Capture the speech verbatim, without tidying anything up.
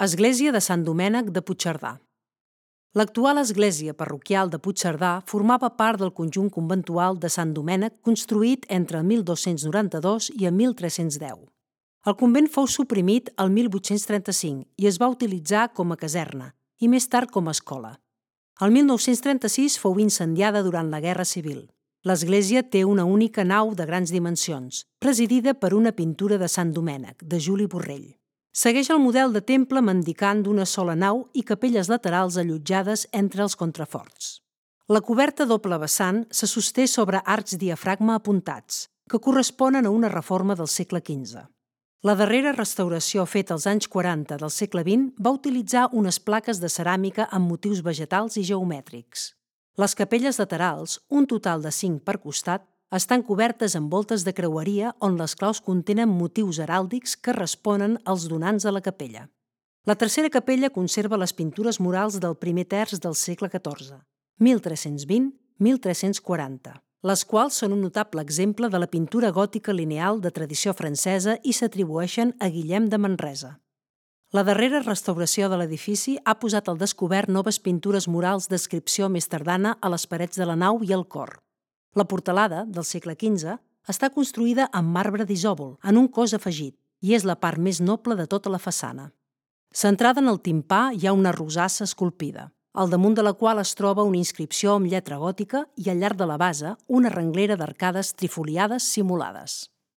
Església de Sant Domènec de Puigcerdà. L'actual església parroquial de Puigcerdà formava part del conjunt conventual de Sant Domènec construït entre mil dos-cents noranta-dos i el mil tres-cents deu. El convent fou suprimit el mil vuit-cents trenta-cinc i es va utilitzar com a caserna i més tard com a escola. El mil nou-cents trenta-sis fou incendiada durant la Guerra Civil. L'església té una única nau de grans dimensions, presidida per una pintura de Sant Domènec, de Juli Borrell. Segueix el model de temple mendicant d'una sola nau i capelles laterals allotjades entre els contraforts. La coberta doble vessant se sosté sobre arcs diafragma apuntats, que corresponen a una reforma del segle quinze. La darrera restauració feta als anys quaranta del segle vint va utilitzar unes plaques de ceràmica amb motius vegetals i geomètrics. Les capelles laterals, un total de cinc per costat, estan cobertes amb voltes de creueria on les claus contenen motius heràldics que responen als donants de la capella. La tercera capella conserva les pintures murals del primer terç del segle catorze, mil tres-cents vint a mil tres-cents quaranta, les quals són un notable exemple de la pintura gòtica lineal de tradició francesa i s'atribueixen a Guillem de Manresa. La darrera restauració de l'edifici ha posat al descobert noves pintures murals d'adscripció més tardana a les parets de la nau i al cor. La portalada, del segle quinze, està construïda amb marbre d'isòvol, en un cos afegit, i és la part més noble de tota la façana. Centrada en el timpà hi ha una rosassa esculpida, al damunt de la qual es troba una inscripció amb lletra gòtica i al llarg de la base una renglera d'arcades trifoliades simulades.